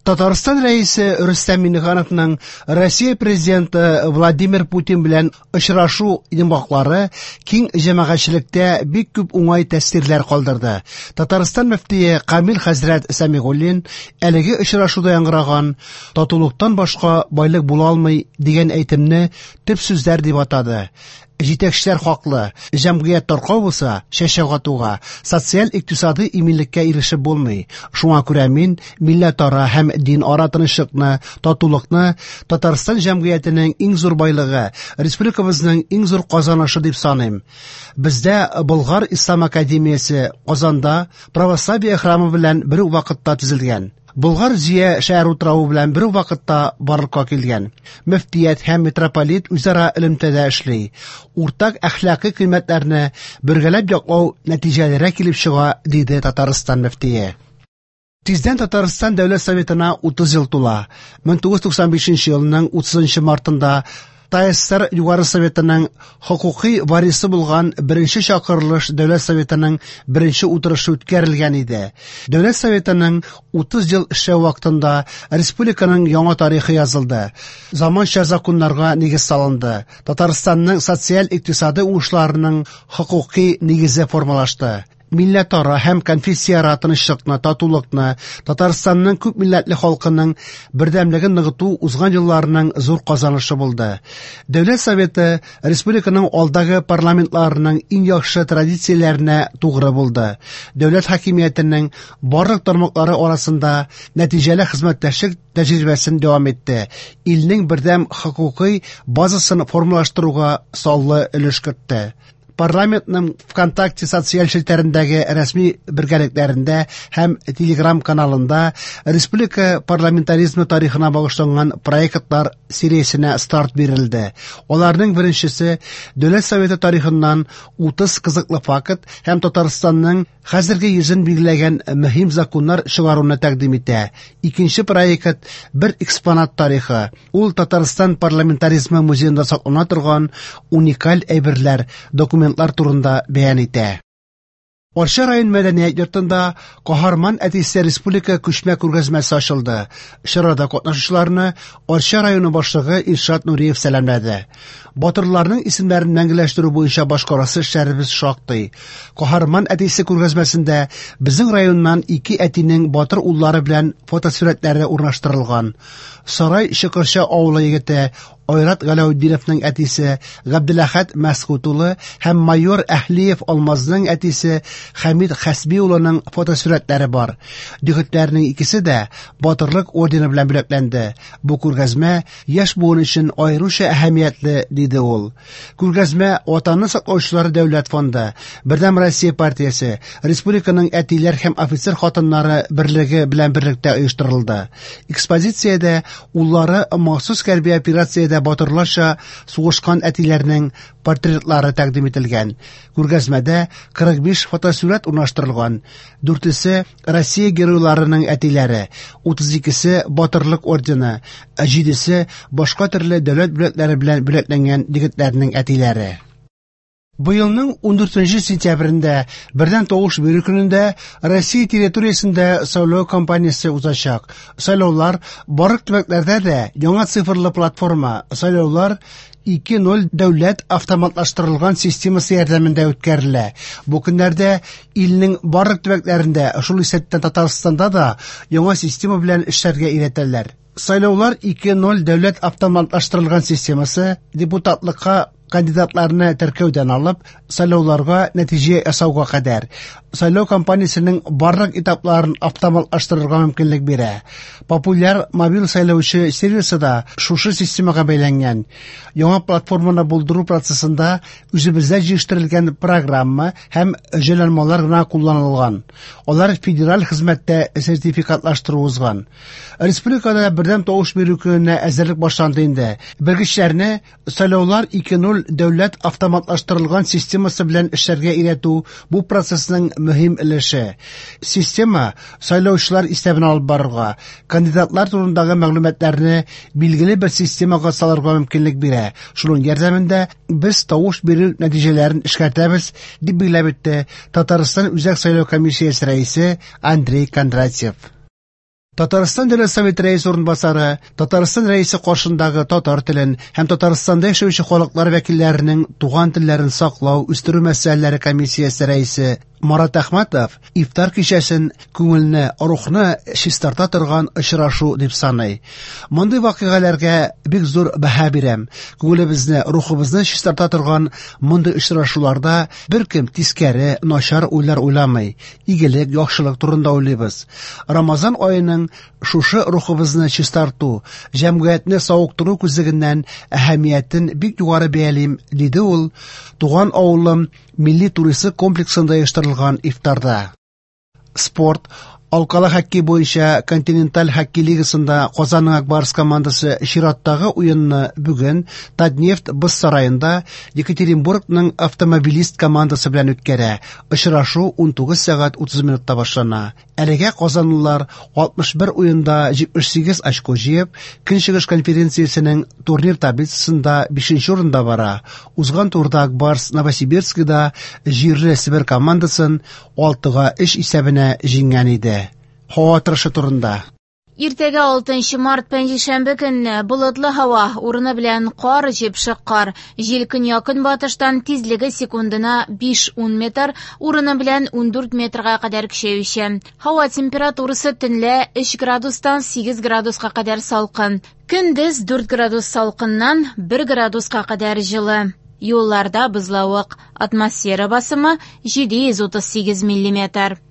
Татарстан Рәисе Рөстәм Миңнехановның Россия Президенты Владимир Путин белән очрашу йомгаклары киң җәмәгатьчелектә бик күп уңай тәэсирләр калдырды. Татарстан мөфтие Камил хәзрәт Сәмигуллин әлеге очрашуда яңгыраган «Татулыктан башка байлык була алмый» дигән әйтемне төп сүзләр дип атады. Җитәкчеләр хаклы, җәмгыять таркау булса, чәчәк атуга, социаль-икътисадый иминлеккә ирешеп булмый. Шуңа күрә мин милләтара һәм динара тынычлыкны, татулыкны Татарстан җәмгыятенең иң зур байлыгы, республикабызның иң зур казанышы дип саныйм. Бездә Болгар ислам академиясе Казанда православие храмы белән бер үк вакытта төзелгән. Болгар Зөя шәһәр утравы белән бер үк вакытта барлыкка килгән. Мөфтият һәм митрополит үзара элемтәдә эшли. Уртак әхлакый кыйммәтләрне бергәләп яклау нәтиҗәлерәк килеп чыга, диде Татарстан мөфтие. Тиздән Татарстан Дәүләт Советына 30 ел тула. 1995 елның 30 мартында ТАССР Югары Советының хокукый варисы булган беренче чакырылыш Дәүләт Советының беренче утырышы үткәрелгән иде. Дәүләт Советының 30 ел эшләү вакытында республиканың яңа тарихы язылды. Заманча законнарга нигез салынды. Татарстанның социаль-икътисадый уңышларының хокукый нигезе формалашты. Милләтара һәм конфессияара тынычлыкны, татулыкны, Татарстанның күп милләтле халкының бердәмлеген ныгыту узган елларның зур казанышы булды. Дәүләт Советы республиканың алдагы парламентларының иң яхшы традицияләренә тугры булды. Дәүләт хакимиятенең барлык тармаклары арасында нәтиҗәле хезмәттәшлек тәҗрибәсен дәвам итте. Илнең бердәм хокукый базасын формалаштыруга саллы өлеш кертте. Парламентның ВКонтакте социаль челтәрендәге рәсми бергәлекләрендә һәм Телеграм каналында республика парламентаризмы тарихына багышланган проектлар сериясенә старт бирелде. Аларның беренчесе Дәүләт Советы тарихыннан 30 кызыклы факт һәм Татарстанның хәзерге йөзен билгеләгән мөһим законнар чыгаруны тәкъдим итә. Икенче проект бер экспонат тарихы. Ул Татарстан парламентаризмы музеенда саклана торган уникаль әйберләр, документлар турында бәян итә. Арча район мәдәният йортында Каһарман әтисе республика күчмә күргәзмәсе ачылды. Чарада катнашучыларны Арча районы башлыгы Илшат Нуриев сәламләде. Батырларның исемнәрен мәңгеләштерү буенча башкарасы эшләребез шактый. Каһарман әтисе күргәзмәсендә безнең районнан ике әтинең батыр уллары белән фотосурәтләре урнаштырылган. Сарай Чокырча авылы егете Айрат Галәүдиновның әтисе Габделәхәт Мәсгут улы һәм майор Әһлиев Алмазның әтисе Хәмид Хәсби улының фотосурәтләре бар. Егетләрнең икесе дә Батырлык ордены белән бүләкләнде. Бу күргәзмә яшь буын өчен аеруча әһәмиятле, диде ул. Күргәзмә Ватанны саклаучылар дәүләт фонды, Бердәм Россия партиясе, республиканың әтиләр һәм офицер хатыннары берлеге белән берлектә оештырылды. Экспозициядә уллары махсус хәрби операциядә батырларча сугышкан әтиләрнең портретлары тәкъдим ителгән. Күргәзмәдә 45 фотосурәт урнаштырылган. Дүртесе Россия геройларының әтиләре, 32-се Батырлык ордены, ә җидесе башка төрле дәүләт бүләкләре белән бүләкләнгән егетләрнең әтиләре. Быелның 14 сентябрендә бердәм тавыш бирү көнендә Россия территориясендә сайлау кампаниясе узачак. Сайлаулар барлык төбәкләрдә дә яңа цифрлы платформа Сайлаулар 2.0 дәүләт автоматлаштырылган системасы ярдәмендә үткәрелә. Бу көннәрдә илнең барлык төбәкләрендә, шул исәптән Татарстанда да яңа система белән эшләргә өйрәтәләр. Сайлаулар 2.0 дәүләт автоматлаштырылган системасы депутатлыкка кандидатларны теркәүдән алып, сайлауларга нәтиҗә ясауга кадәр сайлау кампаниясенең барлык этапларын автоматлаштырырга мөмкинлек бирә. Популяр мобиль сайлаучы сервисы да шушы системага бәйләнгән. Яңа платформаны булдыру процессында үзебездә җитештерелгән программа һәм җайланмалар гына кулланылган. Алар федераль хезмәттә сертификатлаштыру узган. Республикада бердәм тавыш бирү көненә әзерлек башланды инде. Белгечләрне Сайлаулар 2.0 дәүләт автоматлаштырылган системасы белән эшләргә өйрәтү бу процессның мөһим өлеше. Система сайлаучылар исәбен алып барырга, кандидатлар турындагы мәгълүматларны билгеле бер системага салырга мөмкинлек бирә. Шуның ярдәмендә без тавыш бирү нәтиҗәләрен эшкәртәбез, дип билгеләп үтте Татарстан Үзәк сайлау комиссиясе рәисе Андрей Кондратьев. Татарстан Дәүләт Советы Рәисе урынбасары, Татарстан Рәисе каршындагы татар телен һәм Татарстанда яшәүче халыклар вәкилләренең туган телләрен саклау, үстерү мәсьәләләре комиссиясе рәисе Марат Әхмәтов ифтар кичәсен күңелне, рухны чистарта торган очрашу дип саный. Мондый вакыйгаларга бик зур бәһа бирәм. Күңелебезне, рухыбызны чистарта торган мондый очрашуларда беркем тискәре, начар уйлар уйламый. Игелек, яхшылык турында уйлыйбыз. Рамазан аеның шушы рухыбызны чистарту, җәмгыятьне савыктыру күзлегеннән әһәмиятен бик югары бәялим, диде ул Туган авылым милли туристик комплексында оештырылган ифтарда. Спорт. Алкалы хоккей буенча Континенталь хоккей лигасында Казанның Ак Барс командасы чираттагы уенны бүген Татнефть боз сараенда Екатеринбургның Автомобилист командасы белән үткәрә. Очрашу 19 сәгать 30 минутта башлана. Әлегә казанлылар 61 уенда 78 очко җыеп, Көнчыгыш конференциясенең турнир таблицасында 5 урында бара. Узган турда Ак Барс Новосибирскида җирле Себер командасын 6-3 исәбенә җиңгән иде. Һава торышы турында. Иртәгә 6 март пәнҗешәмбе көнне болытлы һава, урыны белән кар, җепшек кар. Җил көньяк-көнбатыштан, тизлеге секундына 5-10 метр, урыны белән 14 метрга кадәр көчәюче. Һава температурасы төнлә 3 градустан 8 градуска кадәр салкын. Көндез 4 градус салкыннан 1 градуска кадәр җылы. Юлларда бозлавык. Атмосфера басымы 738 миллиметр.